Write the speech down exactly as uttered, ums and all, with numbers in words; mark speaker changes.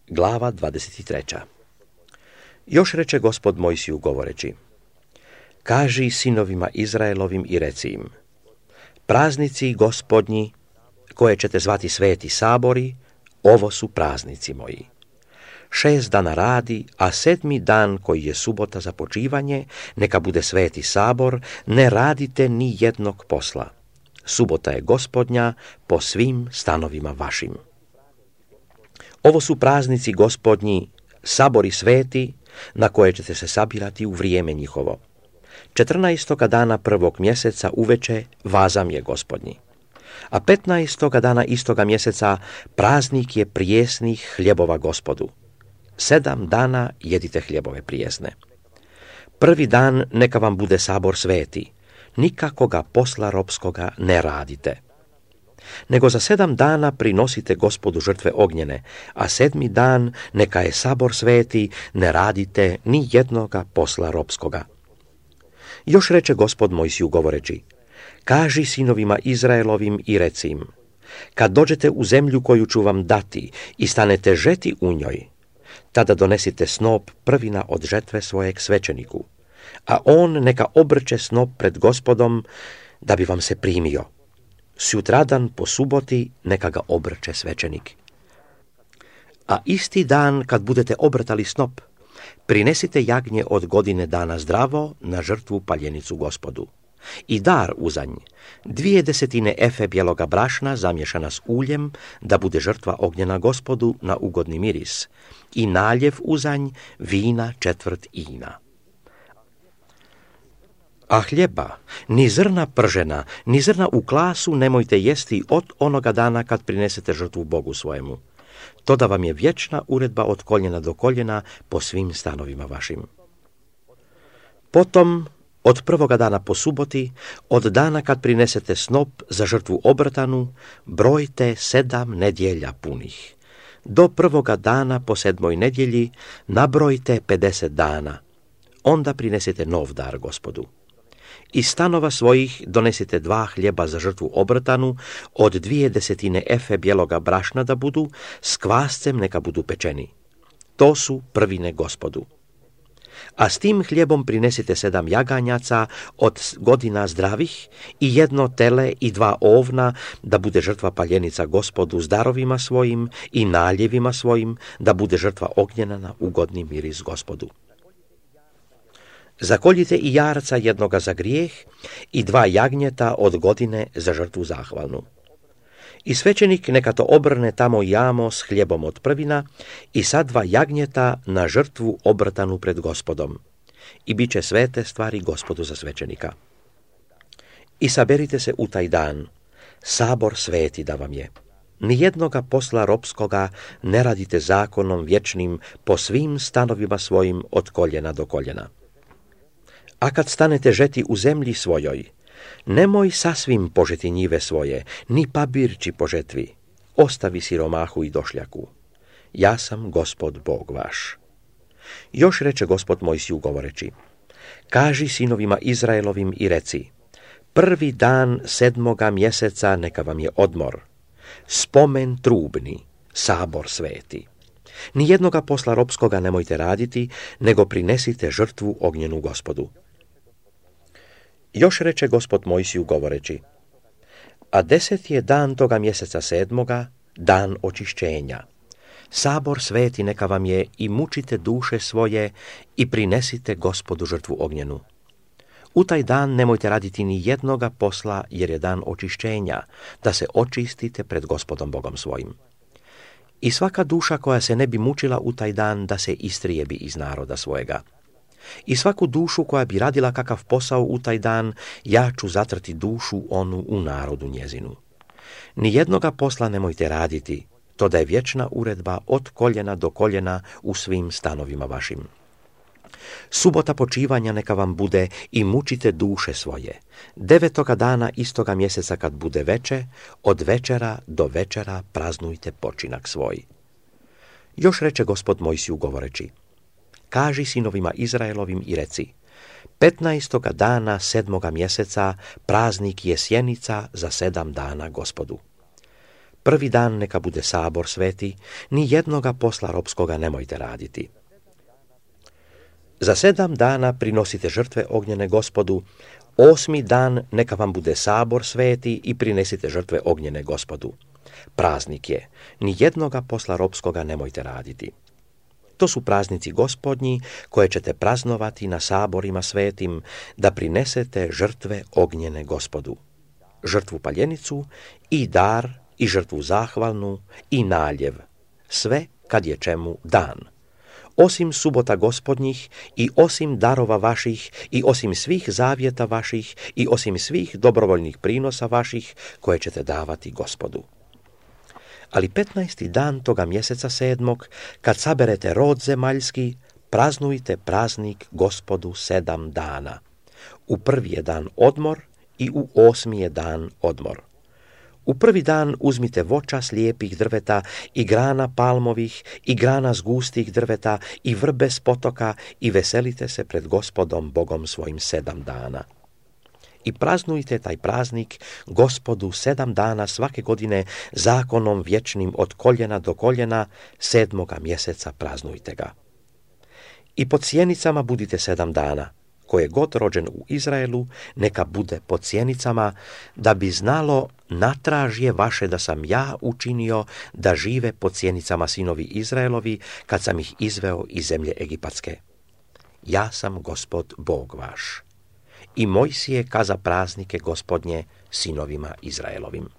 Speaker 1: Glava dvadeset tri. Još reče Gospod Mojsiju govoreći: Kaži sinovima Izraelovim i reci im: Praznici Gospodnji, koje ćete zvati sveti sabori, ovo su praznici moji. Šest dana radi, a sedmi dan, koji je subota za počivanje, neka bude sveti sabor, ne radite ni jednog posla. Subota je Gospodnja po svim stanovima vašim. Ovo su praznici Gospodnji, sabori sveti, na koje ćete se sabirati u vrijeme njihovo. Četrnaestoga dana prvog mjeseca uveče vazam je Gospodnji. A petnaestoga dana istoga mjeseca praznik je prijesnih hljebova Gospodu. Sedam dana jedite hljebove prijesne. Prvi dan neka vam bude sabor sveti, nikakoga posla ropskoga ne radite. Nego za sedam dana prinosite Gospodu žrtve ognjene, a sedmi dan neka je sabor sveti, ne radite ni jednoga posla ropskoga. Još reče Gospod Mojsiju govoreći: Kaži sinovima Izraelovim i reci im: Kad dođete u zemlju koju ću vam dati i stanete žeti u njoj, tada donesite snop prvina od žetve svojeg svećeniku, a on neka obrče snop pred Gospodom, da bi vam se primio. Sutradan po suboti neka ga obrče svećenik. A isti dan kad budete obrtali snop, prinesite jagnje od godine dana zdravo na žrtvu paljenicu Gospodu. I dar uzanj, dvije desetine efe bijeloga brašna zamješana s uljem, da bude žrtva ognjena Gospodu na ugodni miris, i naljev uzanj, vina četvrt ina. A hljeba, ni zrna pržena, ni zrna u klasu nemojte jesti od onoga dana kad prinesete žrtvu Bogu svojemu. To da vam je vječna uredba od koljena do koljena po svim stanovima vašim. Potom, od prvoga dana po suboti, od dana kad prinesete snop za žrtvu obrtanu, brojte sedam nedjelja punih. Do prvoga dana po sedmoj nedjelji nabrojte pedeset dana. Onda prinesete nov dar Gospodu. Iz stanova svojih donesite dva hljeba za žrtvu obrtanu, od dvije desetine efe bijeloga brašna da budu, s kvascem neka budu pečeni. To su prvine Gospodu. A s tim hljebom prinesite sedam jaganjaca od godina zdravih i jedno tele i dva ovna, da bude žrtva paljenica Gospodu s darovima svojim i naljevima svojim, da bude žrtva ognjena na ugodni miris Gospodu. Zakoljite i jarca jednoga za grijeh i dva jagnjeta od godine za žrtvu zahvalnu. I svećenik neka to obrne tamo jamo s hljebom od prvina i sad dva jagnjeta na žrtvu obrtanu pred Gospodom. I bit će svete stvari Gospodu za svećenika. I saberite se u taj dan, sabor sveti da vam je. Nijednoga posla ropskoga ne radite zakonom vječnim po svim stanovima svojim od koljena do koljena. A kad stanete žeti u zemlji svojoj, nemoj sasvim požeti njive svoje, ni pabirči po žetvi. Ostavi siromahu i došljaku. Ja sam Gospod Bog vaš. Još reče Gospod Mojsiju govoreći: Kaži sinovima Izraelovim i reci: Prvi dan sedmoga mjeseca neka vam je odmor, spomen trubni, sabor sveti. Nijednoga posla ropskoga nemojte raditi, nego prinesite žrtvu ognjenu Gospodu. Još reče Gospod Mojsiju govoreći: A deset je dan toga mjeseca sedmoga, dan očišćenja. Sabor sveti neka vam je i mučite duše svoje i prinesite Gospodu žrtvu ognjenu. U taj dan nemojte raditi ni jednoga posla, jer je dan očišćenja, da se očistite pred Gospodom Bogom svojim. I svaka duša koja se ne bi mučila u taj dan, da se istrijebi iz naroda svojega. I svaku dušu koja bi radila kakav posao u taj dan, ja ću zatrti dušu onu u narodu njezinu. Nijednoga posla nemojte raditi, to da je vječna uredba od koljena do koljena u svim stanovima vašim. Subota počivanja neka vam bude i mučite duše svoje. Devetoga dana istoga mjeseca kad bude veče, od večera do večera praznujte počinak svoj. Još reče Gospod Mojsiju govoreći: Kaži sinovima Izraelovim i reci: Petnaestoga dana sedmoga mjeseca praznik je sjenica za sedam dana Gospodu. Prvi dan neka bude sabor sveti, ni jednoga posla ropskoga nemojte raditi. Za sedam dana prinosite žrtve ognjene Gospodu, osmi dan neka vam bude sabor sveti i prinesite žrtve ognjene Gospodu. Praznik je, ni jednoga posla ropskoga nemojte raditi. To su praznici Gospodnji koje ćete praznovati na saborima svetim, da prinesete žrtve ognjene Gospodu. Žrtvu paljenicu i dar i žrtvu zahvalnu i naljev, sve kad je čemu dan. Osim subota Gospodnjih i osim darova vaših i osim svih zavjeta vaših i osim svih dobrovoljnih prinosa vaših koje ćete davati Gospodu. Ali petnaesti dan toga mjeseca sedmog, kad saberete rod zemaljski, praznujte praznik Gospodu sedam dana. U prvi je dan odmor i u osmi je dan odmor. U prvi dan uzmite voća slijepih drveta i grana palmovih i grana s gustih drveta i vrbe s potoka i veselite se pred Gospodom Bogom svojim sedam dana. I praznujte taj praznik Gospodu sedam dana svake godine zakonom vječnim od koljena do koljena, sedmoga mjeseca praznujte ga. I pod sjenicama budite sedam dana. Ko je god rođen u Izraelu, neka bude pod sjenicama, da bi znalo natražje vaše da sam ja učinio da žive pod sjenicama sinovi Izraelovi, kad sam ih izveo iz zemlje Egipatske. Ja sam Gospod Bog vaš. I Mojsije kaza praznike Gospodnje sinovima Izraelovim.